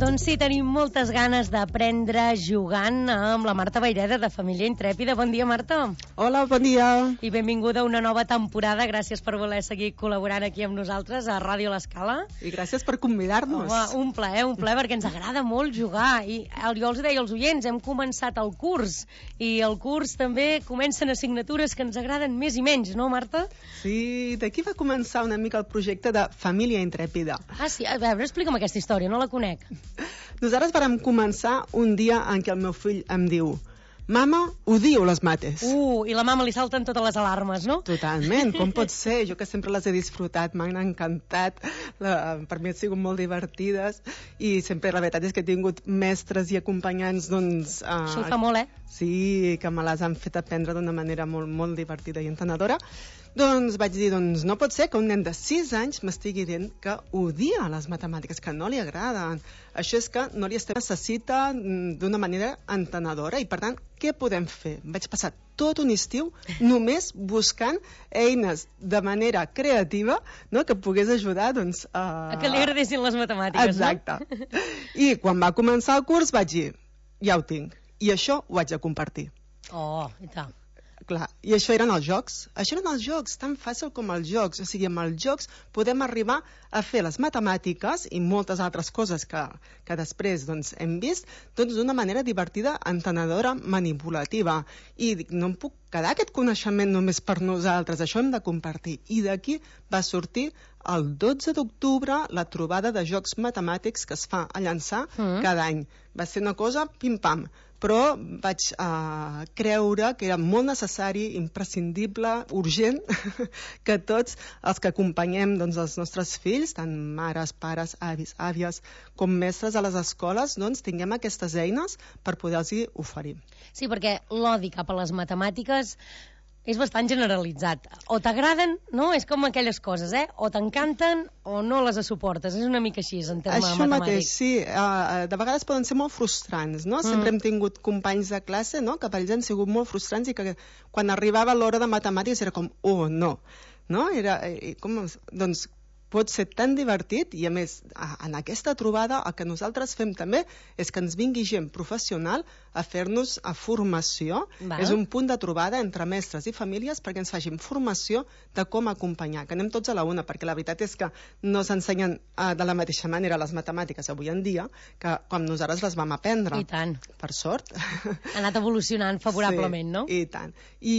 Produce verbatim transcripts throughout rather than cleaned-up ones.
Doncs sí, tenim moltes ganes d'aprendre jugant amb la Marta Vayreda, de Família Intrèpida. Bon dia, Marta. Hola, bon dia. I benvinguda a una nova temporada. Gràcies per voler seguir col·laborant aquí amb nosaltres a Ràdio L'Escala. I gràcies per convidar-nos. Home, un plaer, un plaer, perquè ens agrada molt jugar. I jo els deia als oients, hem començat el curs, i el curs també comencen assignatures que ens agraden més i menys, no, Marta? Sí, d'aquí va començar una mica el projecte de Família Intrèpida. Ah, sí? A veure, explica'm aquesta història, no la conec. Nosaltres vàrem començar un dia en què el meu fill em diu: mama, odio les mates. Uh, i la mama li salten totes les alarmes, no? Totalment, com pot ser? Jo que sempre les he disfrutat, m'han encantat, la, per mi han sigut molt divertides, i sempre la veritat és que he tingut mestres i acompanyants, doncs... Uh, Això ho fa molt, eh? Sí, que me les han fet aprendre d'una manera molt, molt divertida i entenedora. Doncs vaig dir, doncs no pot ser que un nen de sis anys m'estigui dient que odia les matemàtiques, que no li agraden. Això és que no li estem necessita d'una manera entenedora, i per tant, què podem fer? Vaig passar tot un estiu només buscant eines de manera creativa, no?, que pogués ajudar, doncs... A, a que li agradessin les matemàtiques, exacte. No? Exacte. I quan va començar el curs vaig dir, ja ho tinc, i això ho haig de compartir. Oh, i tant. Clar, i això eren els jocs. Això eren els jocs, tan fàcil com els jocs. O sigui, amb els jocs podem arribar a fer les matemàtiques i moltes altres coses que, que després doncs, hem vist, doncs d'una manera divertida, entenedora, manipulativa. I dic, no em puc quedar aquest coneixement només per nosaltres, això hem de compartir. I d'aquí va sortir el dotze d'octubre la trobada de jocs matemàtics que es fa a Llançà mm. cada any. Va ser una cosa pim-pam, però vaig uh, creure que era molt necessari, imprescindible, urgent, que tots els que acompanyem doncs, els nostres fills, tant mares, pares, avis, àvies, com mestres a les escoles, doncs, tinguem aquestes eines per poder-los oferir. Sí, perquè l'odi cap a les matemàtiques és bastant generalitzat. O t'agraden, no? És com aquelles coses, eh? O t'encanten o no les suportes. És una mica així, en termes Això matemàtics. Mateix, sí. Uh, de vegades poden ser molt frustrants, no? Mm. Sempre hem tingut companys de classe, no?, que per ells han sigut molt frustrants i que quan arribava l'hora de matemàtiques era com, oh, no. No? Era, eh, com, doncs, pot ser tan divertit, i a més en aquesta trobada el que nosaltres fem també és que ens vingui gent professional a fer-nos a formació. Val. És un punt de trobada entre mestres i famílies perquè ens facin formació de com acompanyar, que anem tots a la una, perquè la veritat és que no s'ensenyen uh, de la mateixa manera les matemàtiques avui en dia que quan nosaltres les vam aprendre. I tant. Per sort. Ha anat evolucionant favorablement, sí, no? I tant. I,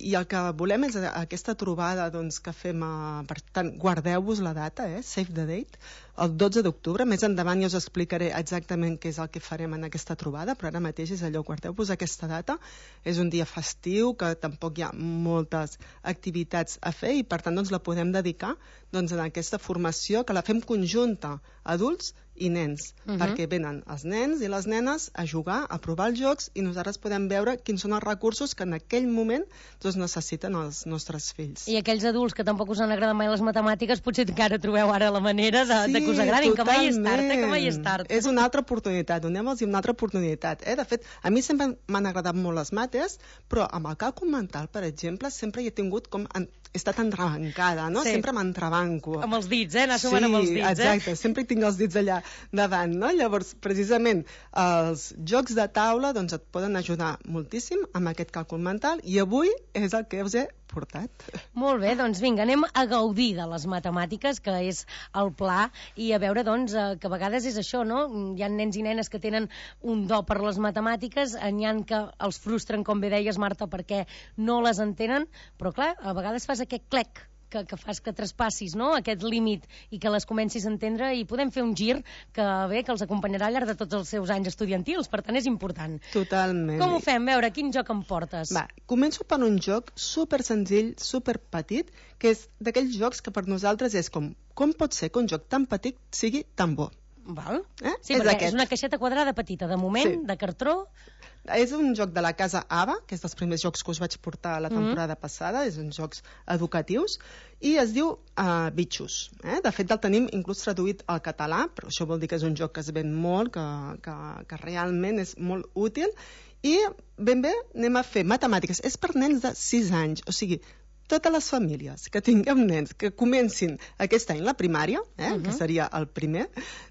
i el que volem és aquesta trobada doncs, que fem, uh, per tant, guardeu-vos la data, eh? Save the date, el dotze d'octubre. Més endavant jo us explicaré exactament què és el que farem en aquesta trobada, però ara mateix és allò, guardeu-vos aquesta data. És un dia festiu, que tampoc hi ha moltes activitats a fer, i per tant doncs, la podem dedicar doncs, a aquesta formació, que la fem conjunta, adults i nens, uh -huh. perquè venen els nens i les nenes a jugar, a provar els jocs, i nosaltres podem veure quins són els recursos que en aquell moment doncs, necessiten els nostres fills. I aquells adults que tampoc us han agradat mai les matemàtiques, potser encara trobeu ara la manera de, sí, de que us agradin, totalment. Que mai és tard, eh? Que mai és tard. És una altra oportunitat, donem-los una altra oportunitat. Eh? De fet, a mi sempre m'han agradat molt les mates, però amb el càlcul mental, per exemple, sempre hi he tingut com... En... he estat entrebancada, no? Sí. Sempre m'entrebanco. Amb els dits, eh? Anar sí, sumant amb els dits, exacte. Eh? Sempre hi tinc els dits allà davant, no? Llavors, precisament, els jocs de taula doncs, et poden ajudar moltíssim amb aquest càlcul mental, i avui és el que us he portat. Molt bé, doncs vinga, anem a gaudir de les matemàtiques, que és el pla, i a veure, doncs, que a vegades és això, no? Hi ha nens i nenes que tenen un do per les matemàtiques, n'hi ha que els frustren, com bé deies, Marta, perquè no les entenen, però clar, a vegades fas aquest clec, que, que fas que traspassis, no?, aquest límit i que les comencis a entendre, i podem fer un gir que bé, que els acompanyarà al llarg de tots els seus anys estudiantils, per tant és important. Totalment. Com ho fem? A veure, quin joc em portes? Va, començo per un joc super senzill, super petit, que és d'aquells jocs que per nosaltres és com, com pot ser que un joc tan petit sigui tan bo? Val? Eh? Sí, és perquè aquest. És una caixeta quadrada petita, de moment, sí, de cartró. És un joc de la casa Ava, que és dels primers jocs que us vaig portar la temporada mm. passada, és uns jocs educatius, i es diu uh, Bitxos. Eh? De fet, el tenim inclús traduït al català, però això vol dir que és un joc que es ven molt, que, que, que realment és molt útil, i ben bé anem a fer matemàtiques. És per nens de sis anys, o sigui, totes les famílies que tinguem nens que comencin aquest any la primària, eh, uh-huh. que seria el primer,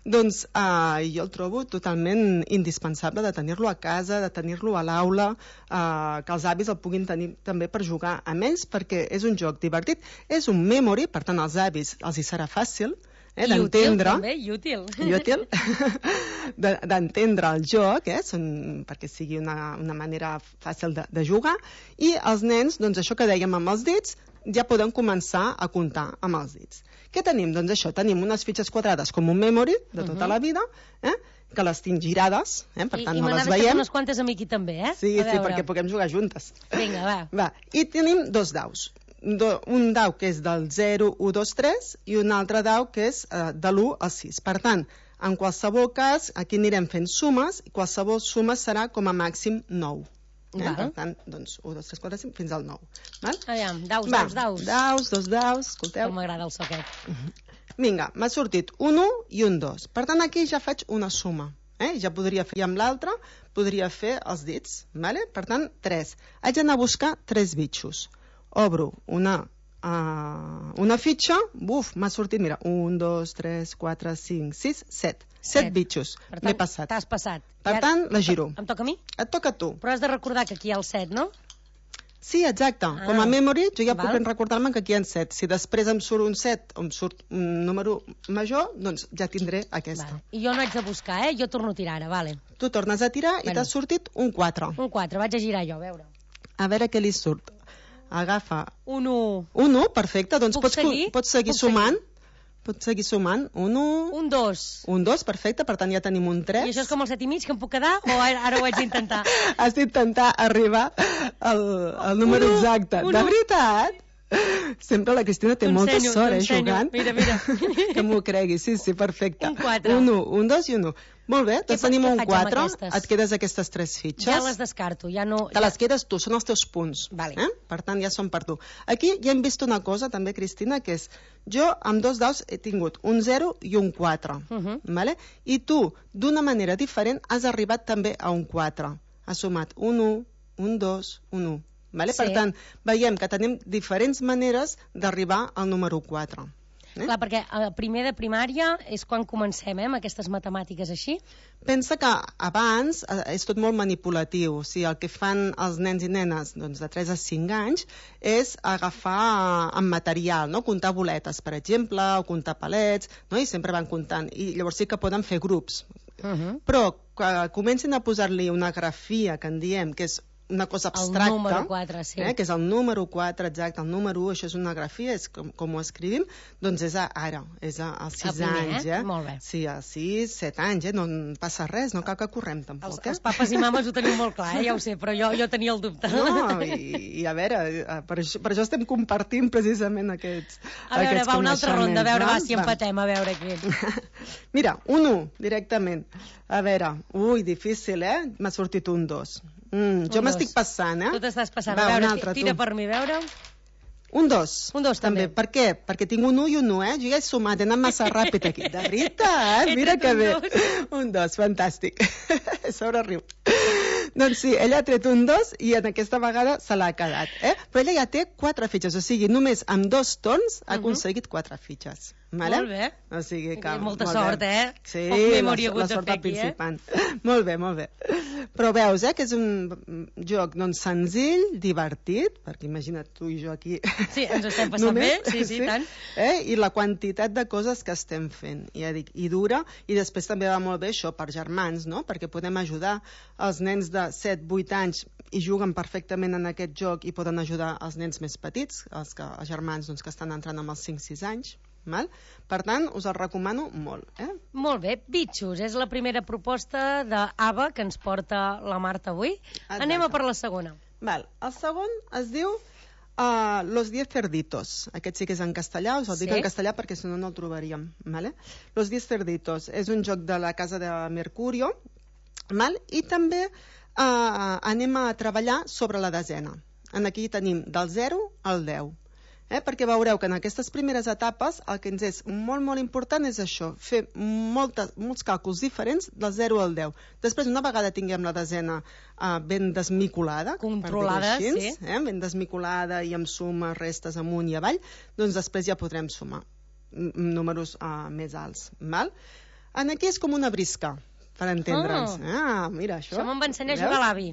doncs eh, jo el trobo totalment indispensable de tenir-lo a casa, de tenir-lo a l'aula, eh, que els avis el puguin tenir també per jugar amb ells, perquè és un joc divertit, és un memory, per tant als avis els hi serà fàcil, Eh, d'entendre, també, i útil, i útil d'entendre el joc, eh, són, perquè sigui una, una manera fàcil de, de jugar, i els nens, doncs això que dèiem amb els dits, ja poden començar a comptar amb els dits. Què tenim? Doncs això, tenim unes fitxes quadrades com un memory de tota uh-huh. la vida, eh, que les tinc girades, eh, per tant I, no i les veiem. I unes quantes a mi aquí també, eh? Sí, sí, perquè puguem jugar juntes. Vinga, va. va. I tenim dos daus. Do, un dau que és del zero, u, dos, tres i un altre dau que és eh, de l'u al sis. Per tant, en qualsevol cas, aquí anirem fent sumes i qualsevol suma serà com a màxim nou. Eh? Per tant, doncs, u, dos, tres, quatre, cinc, fins al nou. Val? Aviam, daus, Va, daus, daus. Daus, dos daus, escolteu. Com m'agrada el soquet. Vinga, m'ha sortit un u i un dos. Per tant, aquí ja faig una suma. Eh? Ja podria fer, i amb l'altre podria fer els dits. Vale? Per tant, tres. Haig d'anar a buscar tres bitxos. Obro una, uh, una fitxa, buf, m'ha sortit, mira, un, dos, tres, quatre, cinc, sis, set. Set bitxos, m'he passat. T'has passat. Per ara, tant, la giro. Em toca a mi? Et toca a tu. Però has de recordar que aquí hi ha el set, no? Sí, exacte. Ah, com a memory, jo ja val. puc recordar-me que aquí hi ha set. Si després em surt un set o em surt un número major, doncs ja tindré aquesta. Val. I jo no haig de buscar, eh? Jo torno a tirar ara, vale. Tu tornes a tirar bueno. i t'ha sortit un quatre. Un quatre, vaig a girar jo, a veure. A veure què li surt. Agafa... Un u. Un u, perfecte. Doncs Puc pots seguir? pots seguir Puc sumant. seguir? Pots seguir sumant. Un u... Un dos. Un dos, perfecte. Per tant, ja tenim un tres. I això és com el set i mig que em puc quedar o ara, ara ho haig d'intentar? Has d'intentar arribar al, al número un, exacte. Un, de veritat? Sempre la Cristina té molta sort, eh, jugant. Mira, mira. Que m'ho cregui, sí, sí, perfecte. Un quatre. Un u, un dos i un u. Molt bé, doncs tenim un quatre, et quedes aquestes tres fitxes. Ja les descarto, ja no... Te les quedes tu, són els teus punts. Vale. Eh? Per tant, ja són per tu. Aquí ja hem vist una cosa, també, Cristina, que és, jo amb dos daus he tingut un zero i un quatre. Uh -huh. Vale? I tu, d'una manera diferent, has arribat també a un quatre. Has sumat un u, un dos, un u. Vale? Sí. Per tant, veiem que tenim diferents maneres d'arribar al número quatre. Eh? Clar, perquè a primer de primària és quan comencem, eh, amb aquestes matemàtiques així. Pensa que abans eh, és tot molt manipulatiu. O sigui, el que fan els nens i nenes doncs, de tres a cinc anys és agafar amb material, no? Comptar boletes, per exemple, o comptar palets, no? I sempre van comptant. I llavors sí que poden fer grups. Uh -huh. Però que comencin a posar-li una grafia, que en diem, que és una cosa abstracta, el número quatre, sí. eh, que és el número quatre, exacte, el número u, això és una grafia, és com, com ho escrivim, doncs és a, ara, és a, als sis anys, eh? Molt bé. Sí, als sis, set anys, eh? No en passa res, no cal que correm tampoc. Els, eh? els papes i mames ho teniu molt clar, eh? Ja ho sé, però jo, jo tenia el dubte. No, i, i a veure, per això, per això estem compartint precisament aquests A veure, aquests va, una altra ronda, a veure, no? va, si empatem, a veure aquí. Mira, un u, directament. A veure, ui, difícil, eh? M'ha sortit un dos. Mm, jo m'estic passant, eh? Tu t'estàs passant. Va, a veure, altre, tira tu. per mi, a veure. Un dos. Un dos, també. també. Per què? Perquè tinc un u i un u, eh? Jo ja he sumat, he anat massa ràpid aquí. De veritat, eh? Mira que bé. Un dos, fantàstic. Sobre riu. Doncs sí, ella ha tret un dos i en aquesta vegada se l'ha quedat, eh? Però ella ja té quatre fitxes, o sigui, només amb dos torns ha aconseguit quatre fitxes. Vale? Molt bé. O sigui que, molta molt sort, bé. eh? Sí, la, la, la sort del principant. Eh? Molt bé, molt bé. Però veus, eh, que és un joc doncs, senzill, divertit, perquè imagina't tu i jo aquí... Sí, ens estem passant només, bé, sí, sí, sí, tant. Eh? I la quantitat de coses que estem fent, ja dic, i dura, i després també va molt bé això per germans, no? Perquè podem ajudar els nens de set vuit anys i juguen perfectament en aquest joc i poden ajudar els nens més petits, els, que, els germans doncs, que estan entrant amb els cinc sis anys. Val? Per tant, us el recomano molt. Eh? Molt bé, bitxos, és la primera proposta d'Ava que ens porta la Marta avui. Exacte. Anem a per la segona. Val. El segon es diu uh, Los Diez Cerditos. Aquest sí que és en castellà, us el sí? dic en castellà perquè si no no el trobaríem. Vale? Los Diez Cerditos és un joc de la casa de Mercurio, val? I també uh, anem a treballar sobre la desena. En aquí tenim del zero al deu. Eh? Perquè veureu que en aquestes primeres etapes el que ens és molt, molt important és això, fer moltes, molts càlculs diferents del zero al deu. Després, una vegada tinguem la desena uh, ben desmicolada, controlada, per dir-ho així, sí. eh? ben desmicolada i amb sumes, restes amunt i avall, doncs després ja podrem sumar números uh, més alts. Val? En aquí és com una brisca, per entendre'ns. Oh. Ah, mira, això. Això me'n va ensenyar a jugar l'avi.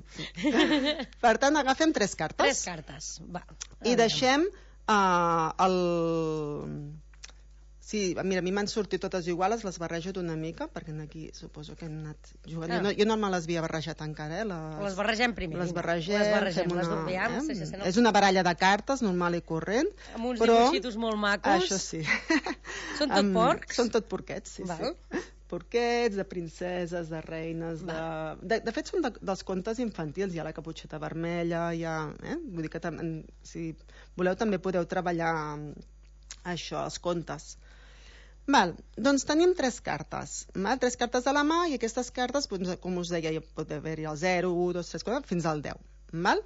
Per tant, agafem tres cartes. Tres cartes. Va. I deixem Uh, el... Sí, mira, a mi m'han sortit totes iguales, les barrejo d'una mica, perquè aquí suposo que hem anat jugant. Ah. Jo, no, jo no me les havia barrejat encara, eh? Les, les barregem primer. Les barregem, les barregem, una, les doblem, eh? sí, sí, sí, no. És una baralla de cartes, normal i corrent. Amb uns però... dibuixitos molt macos. Això sí. Són tot porcs? Són tot porquets, sí, Val. sí. Porquets, de princeses, de reines, de... de... De fet, són de, dels contes infantils. Hi ha la caputxeta vermella, hi ha... Eh? Vull dir que tam... si voleu també podeu treballar això, els contes. Val, doncs tenim tres cartes. Val? Tres cartes a la mà i aquestes cartes, doncs, com us deia, pot haver-hi el zero, u, dos, tres, quatre, fins al deu. Val?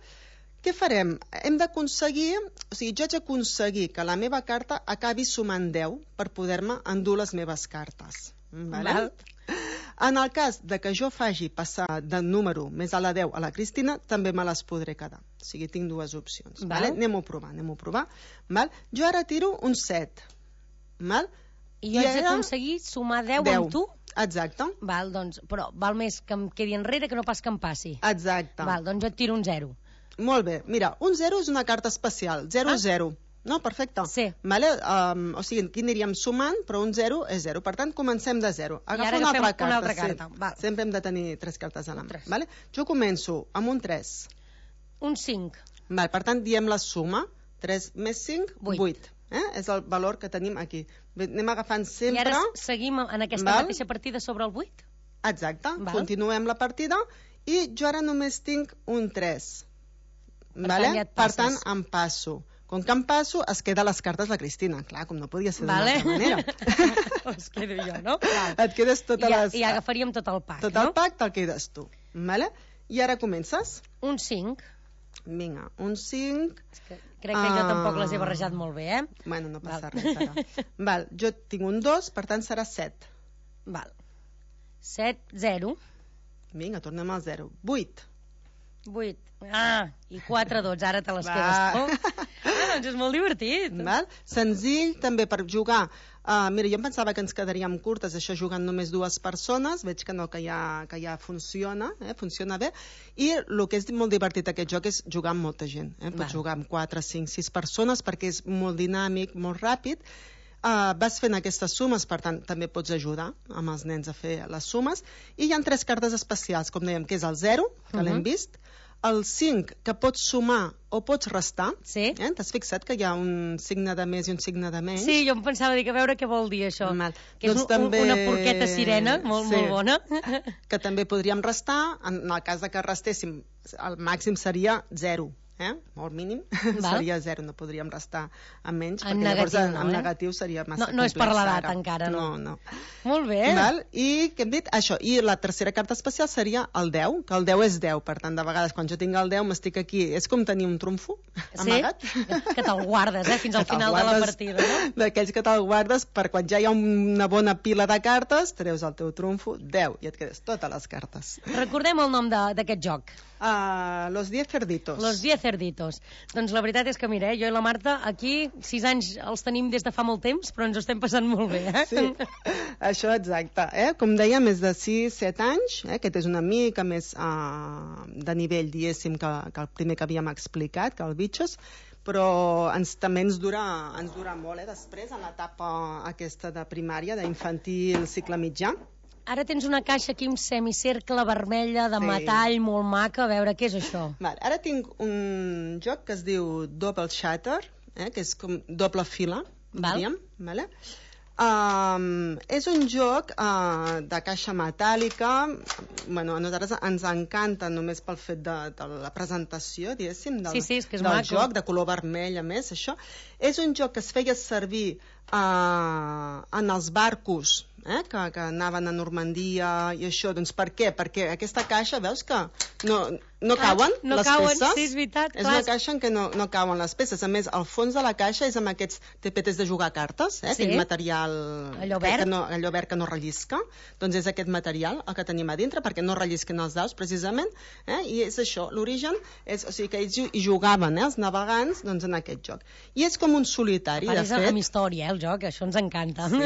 Què farem? Hem d'aconseguir, o sigui, jo haig d'aconseguir que la meva carta acabi sumant deu per poder-me endur les meves cartes. Vale? Val. En el cas de que jo faci passar de número més a la deu a la Cristina, també me les podré quedar. O sigui, tinc dues opcions. Vale? Anem-ho a provar, anem-ho a provar. Val? Jo ara tiro un set. Val? I jo I haig ara... d'aconseguir sumar deu, deu amb tu? Exacte. Val, doncs, però val més que em quedi enrere que no pas que em passi. Exacte. Val, doncs jo et tiro un zero. Molt bé. Mira, un zero és una carta especial. zero zero. Ah? No, perfecte. Sí. Vale? Um, o sigui, aquí aniríem sumant, però un zero és zero. Per tant, comencem de zero. Agafa una altra carta. Una altra carta. Sí. Val. Sempre hem de tenir tres cartes a la mà. Vale? Jo començo amb un tres. Un cinc. Val, per tant, diem la suma. tres més cinc, vuit. Eh? És el valor que tenim aquí. Anem agafant sempre... I ara seguim en aquesta Val? mateixa partida sobre el vuit? Exacte. Val? Continuem la partida i jo ara només tinc un tres. Per, vale? tant, ja per tant, em passo. Com que em passo, es queda les cartes la Cristina. Clar, com no podia ser d'una vale. altra manera. Es quedo jo, no? Val. Et quedes totes I, les... I agafaríem tot el pack, tot no? Tot el pack te'l quedes tu. Vale? I ara comences? Un cinc. Vinga, un cinc... És que crec que uh... jo tampoc les he barrejat molt bé, eh? Bueno, no passa Val. res, ara. Val, jo tinc un dos, per tant serà set. Val. set, zero. Vinga, tornem al zero. vuit. vuit. Ah, i quatre, dotze, ara te les Va. quedes tu. Ah, doncs és molt divertit. Val? Senzill també per jugar. Uh, mira, jo em pensava que ens quedaríem curtes, això jugant només dues persones, veig que no, que ja, que ja funciona, eh? funciona bé, i el que és molt divertit aquest joc és jugar amb molta gent. Eh? Pots Val. jugar amb quatre, cinc, sis persones perquè és molt dinàmic, molt ràpid. Uh, vas fent aquestes sumes, per tant, també pots ajudar amb els nens a fer les sumes. I hi ha tres cartes especials, com dèiem, que és el zero, que uh -huh. l'hem vist, el cinc, que pots sumar o pots restar. Sí. Eh? T'has fixat que hi ha un signe de més i un signe de menys? Sí, jo em pensava dir que a veure què vol dir això. Mal. Que doncs és un, també... una porqueta sirena, molt, sí. molt bona. Que també podríem restar, en el cas de que restéssim, el màxim seria zero. Eh? O el mínim Val. seria zero, no podríem restar amb menys, en perquè negatiu, llavors en, no, en eh? negatiu seria massa no, no complex. No és per l'edat ara. encara, no. No, no. Molt bé. Val? I què hem dit? Això. I la tercera carta especial seria el deu, que el deu és deu, per tant, de vegades quan jo tinc el deu m'estic aquí, és com tenir un trumfo amagat. Sí? Que te'l guardes, eh? Fins al final de la partida, no? D'aquells que te'l guardes per quan ja hi ha una bona pila de cartes, treus el teu trumfo, deu, i et quedes totes les cartes. Recordem el nom d'aquest joc. Uh, los diez cerditos. Los diez cerditos. Doncs la veritat és que, mira, eh, jo i la Marta aquí sis anys els tenim des de fa molt temps, però ens ho estem passant molt bé, eh? Sí, això exacte. Eh? Com deia, més de sis set anys, eh? Aquest és una mica més uh, de nivell, diguéssim, que, que el primer que havíem explicat, que el Bitxos, però ens, també ens dura, ens dura molt, eh? Després, en l'etapa aquesta de primària, d'infantil, cicle mitjà. Ara tens una caixa aquí, un semicercle vermella de sí. metall molt maca. A veure, què és això? Val, ara tinc un joc que es diu Double Shatter, eh, que és com doble fila, Val. diríem. Vale? Um, és un joc uh, de caixa metàl·lica. Bueno, a nosaltres ens encanta només pel fet de, de la presentació, diguéssim, del, sí, sí, és que és del maco. joc, de color vermell, a més, això. És un joc que es feia servir uh, en els barcos, eh, que, que anaven a Normandia i això, doncs per què? Perquè aquesta caixa, veus que no, no clar, cauen no les cauen, peces? Sí, és veritat. És clar. una caixa en què no, no cauen les peces. A més, el fons de la caixa és amb aquests tapetes de jugar a cartes, eh, sí. aquell material allò que, verd. que no, allò verd que no rellisca. Doncs és aquest material el que tenim a dintre, perquè no rellisquen els daus, precisament, eh, i és això, l'origen, és, o sigui que ells hi jugaven, eh, els navegants, doncs en aquest joc. I és com un solitari, Part de és fet. amb història, eh, el joc, això ens encanta. Sí.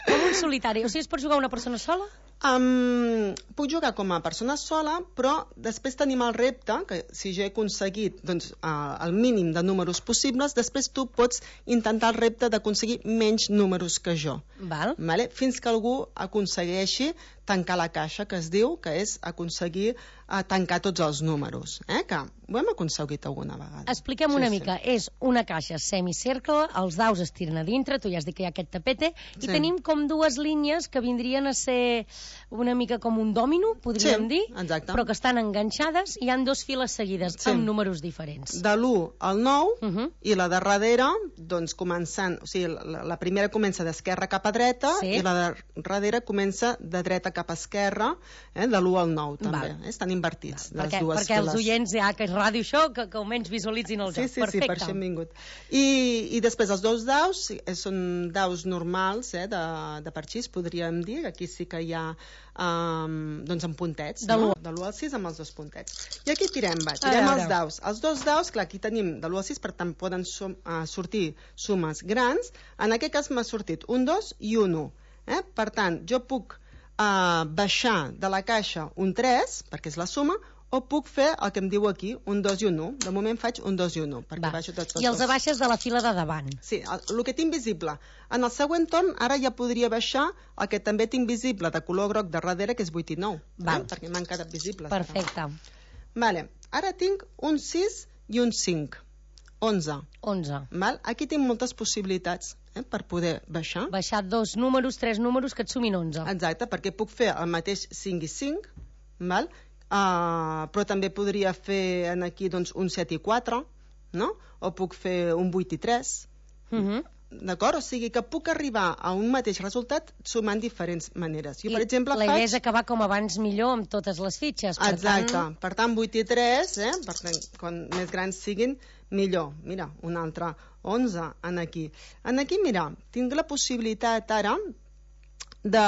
Com un solitari, o sigui, es pot jugar una persona sola? Um, puc jugar com a persona sola, però després tenim el repte, que si jo he aconseguit doncs, uh, el mínim de números possibles, després tu pots intentar el repte d'aconseguir menys números que jo. Val. Vale? Fins que algú aconsegueixi tancar la caixa, que es diu, que és aconseguir uh, tancar tots els números. Eh? Que ho hem aconseguit alguna vegada. Expliquem sí, una sí. mica. És una caixa semicercle, els daus es tiren a dintre, tu ja has dit que hi ha aquest tapete, i Sí. tenim com dues línies que vindrien a ser una mica com un dòmino, podríem Sí, dir, exacte. però que estan enganxades i hi han dos files seguides, Sí. amb números diferents. De l'u al nou, Uh -huh. i la de darrere, doncs començant, o sigui, la, la primera comença d'esquerra cap a dreta, Sí. i la de darrere comença de dreta cap a esquerra, eh, de l'u al nou també. Val. Eh? Estan invertits, les Perquè, dues perquè files. els oients, ja que és ràdio això, que, que almenys visualitzin el Sí, joc. sí, sí, Perfecte. per això hem vingut. I, i després els dos daus eh, són daus normals, eh, de, de parxís, podríem dir. Aquí sí que hi ha um, doncs amb puntets, De no? l'u. De l'u al sis amb els dos puntets. I aquí tirem, va, A tirem veure. els daus. Els dos daus, clar, aquí tenim de l'u al sis, per tant poden sum, uh, sortir sumes grans. En aquest cas m'ha sortit un dos i un u. Eh? Per tant, jo puc uh, baixar de la caixa un tres, perquè és la suma, o puc fer el que em diu aquí, un dos i un u. De moment faig un dos i un u, perquè Va. baixo tots els I els dos. abaixes de la fila de davant. Sí, el, el que tinc visible. En el següent torn, ara ja podria baixar el que també tinc visible de color groc de darrere, que és vuit i nou, Val. eh? perquè m'han quedat visibles. Perfecte. Ara. Vale. Ara tinc un sis i un cinc. onze. onze. Val? Aquí tinc moltes possibilitats eh, per poder baixar. Baixar dos números, tres números que et sumin onze. Exacte, perquè puc fer el mateix cinc i cinc, val? Uh, però també podria fer en aquí doncs, un set i quatre, no? O puc fer un vuit i tres. Uh -huh. D'acord? O sigui que puc arribar a un mateix resultat sumant diferents maneres. Jo, I per exemple, la faig... idea és acabar com abans millor amb totes les fitxes. Per Exacte. Tant... Per tant, vuit i tres, eh? Per tant, quan més grans siguin, millor. Mira, un altre onze en aquí. En aquí, mira, tinc la possibilitat ara de,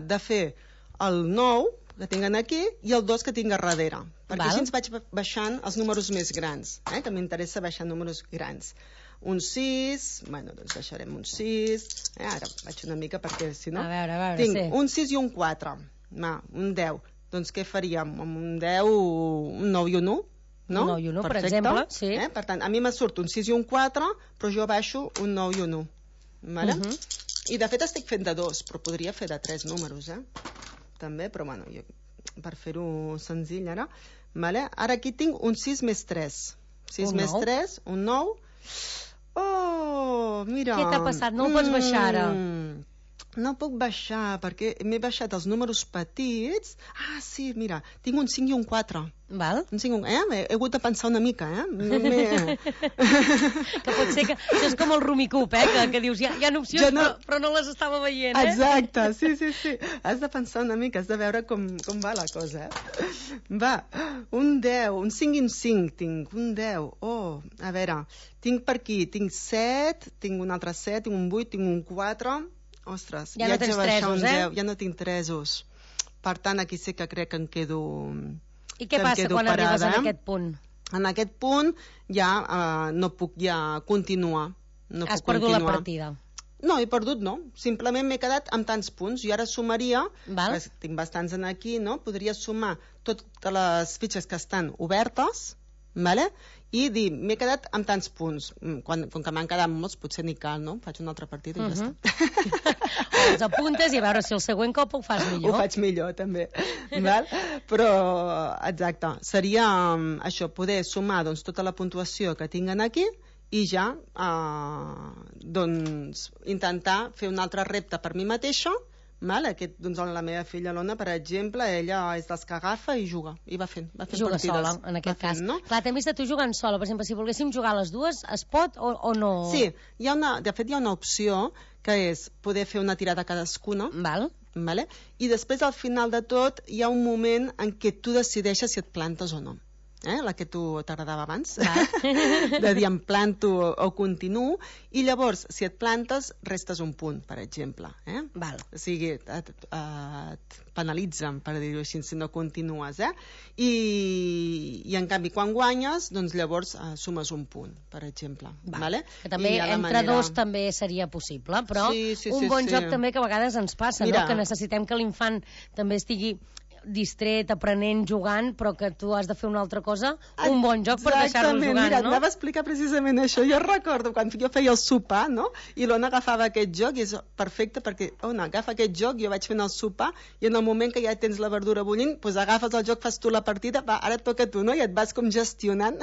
de fer el nou, que tinc aquí, i el dos que tinc a darrere. Perquè Val. així ens vaig baixant els números més grans, eh? Que m'interessa baixar números grans. Un sis, bueno, doncs baixarem un sis, eh? Ara vaig una mica perquè si no... A veure, a veure, tinc sí. un sis i un quatre, va, un deu. Doncs què faríem? Amb un deu, un nou i un u? No? Un nou i un u, per Perfecte. exemple, sí. Eh? Per tant, a mi me surt un sis i un quatre, però jo baixo un nou i un u. Vale? Uh -huh. I de fet estic fent de dos, però podria fer de tres números, eh? També, però bueno, jo, per fer-ho senzill ara. Vale? Ara aquí tinc un sis més tres. sis Un més nou. tres, un nou. Oh, mira. Què t'ha passat? No el pots baixar ara? Mm, no puc baixar, perquè m'he baixat els números petits. Ah, sí, mira, tinc un cinc i un quatre. Val? Un cinc, eh? He hagut de pensar una mica, eh? M'he- Que pot ser que... Això és com el Rumicup, eh? Que, que dius, hi ha, hi ha opcions, Jo no- però, però no les estava veient, eh? Exacte, sí, sí, sí. Has de pensar una mica, has de veure com, com va la cosa, eh? Va, un deu, un cinc i un cinc tinc, un deu. Oh, a veure, tinc per aquí, tinc set, tinc un altre set, tinc un vuit, tinc un quatre. Ostres, Ja no haig de tens baixar tresos, un eh? deu, ja no tinc tresos. Per tant, aquí sí que crec que em quedo... I què que em passa quedo quan arribes parada. en aquest punt? En aquest punt ja uh, no puc ja continuar. No Has puc perdut la continuar. partida. No, he perdut no. Simplement m'he quedat amb tants punts. I ara sumaria, Val. que tinc bastants en aquí, no? Podria sumar totes les fitxes que estan obertes, vale? I dir, m'he quedat amb tants punts. Mm, Quan, com que m'han quedat molts, potser ni cal, no? Faig una altra partida i Mhm. ja està. O els apuntes i a veure si el següent cop ho fas millor. Ho faig millor, també. Val? Però, exacte, seria um, això, poder sumar doncs, tota la puntuació que tinguen aquí i ja uh, doncs, intentar fer un altre repte per mi mateixa Vale? Aquest, doncs, la meva filla l'Ona, per exemple, ella és dels que agafa i juga, i va fent, va fent juga partides. sola, en aquest fent, cas. No? Clar, t'hem vist a tu jugant sola, per exemple, si volguéssim jugar a les dues, es pot o, o no? Sí, hi ha una, de fet hi ha una opció que és poder fer una tirada cadascuna. Val. Vale? I després, al final de tot, hi ha un moment en què tu decideixes si et plantes o no. Eh? La que tu t'agradava abans, de dir em planto o, o continuo, i llavors, si et plantes, restes un punt, per exemple. Eh? Val. O sigui, et, et, et penalitzen, per dir-ho així, si no continues. Eh? I, I, en canvi, quan guanyes, doncs llavors eh, sumes un punt, per exemple. Val. Vale? Que també entre manera... dos també seria possible, però sí, sí, un sí, bon sí. joc també que a vegades ens passa, Mira, no? Que necessitem que l'infant també estigui distret, aprenent, jugant, però que tu has de fer una altra cosa, un bon joc per deixar-lo jugant, mira, no? Anava a explicar precisament això. Jo recordo quan jo feia el sopar, no? I l'Ona agafava aquest joc i és perfecte perquè, Ona, agafa aquest joc, jo vaig fent el sopar i en el moment que ja tens la verdura bullint, doncs agafes el joc, fas tu la partida, va, ara et toca a tu, no? I et vas com gestionant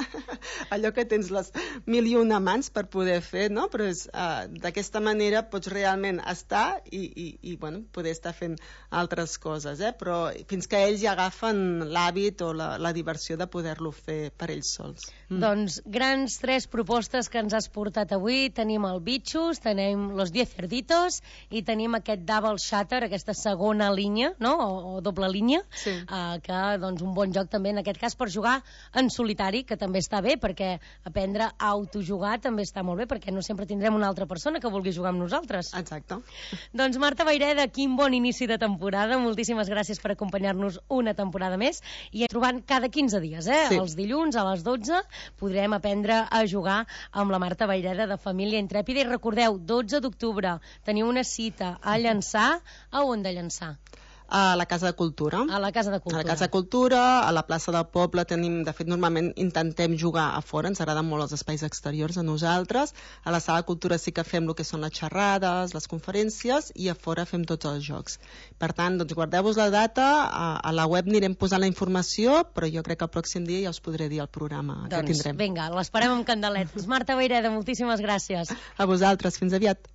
allò que tens les mil i una mans per poder fer, no? Però és, uh, d'aquesta manera pots realment estar i, i, i bueno, poder estar fent altres coses, eh? Però fins que ells ja agafen l'hàbit o la, la diversió de poder-lo fer per ells sols. Mm. Doncs grans tres propostes que ens has portat avui. Tenim el Bitxos, tenim los diez cerditos i tenim aquest double shatter, aquesta segona línia, no? O, o doble línia, sí. uh, que doncs un bon joc també en aquest cas per jugar en solitari, que també està bé, perquè aprendre a autojugar també està molt bé, perquè no sempre tindrem una altra persona que vulgui jugar amb nosaltres. Exacte. Doncs Marta Vayreda, quin bon inici de temporada, moltíssimes gràcies per acompanyar-nos una temporada més i trobant cada quinze dies, eh? Sí. Els dilluns a les dotze podrem aprendre a jugar amb la Marta Vayreda de Família Intrèpida. I recordeu, dotze d'octubre teniu una cita a Llançà. A on de Llançà? A la Casa de Cultura. A la Casa de Cultura. A la Casa de Cultura, a la plaça del poble tenim, de fet, normalment intentem jugar a fora, ens agraden molt els espais exteriors a nosaltres. A la Sala de Cultura sí que fem el que són les xerrades, les conferències, i a fora fem tots els jocs. Per tant, doncs guardeu-vos la data, a, a la web anirem posant la informació, però jo crec que el pròxim dia ja us podré dir el programa doncs, que tindrem. Vinga, l'esperem amb candeletes. Marta Vayreda, moltíssimes gràcies. A vosaltres, fins aviat.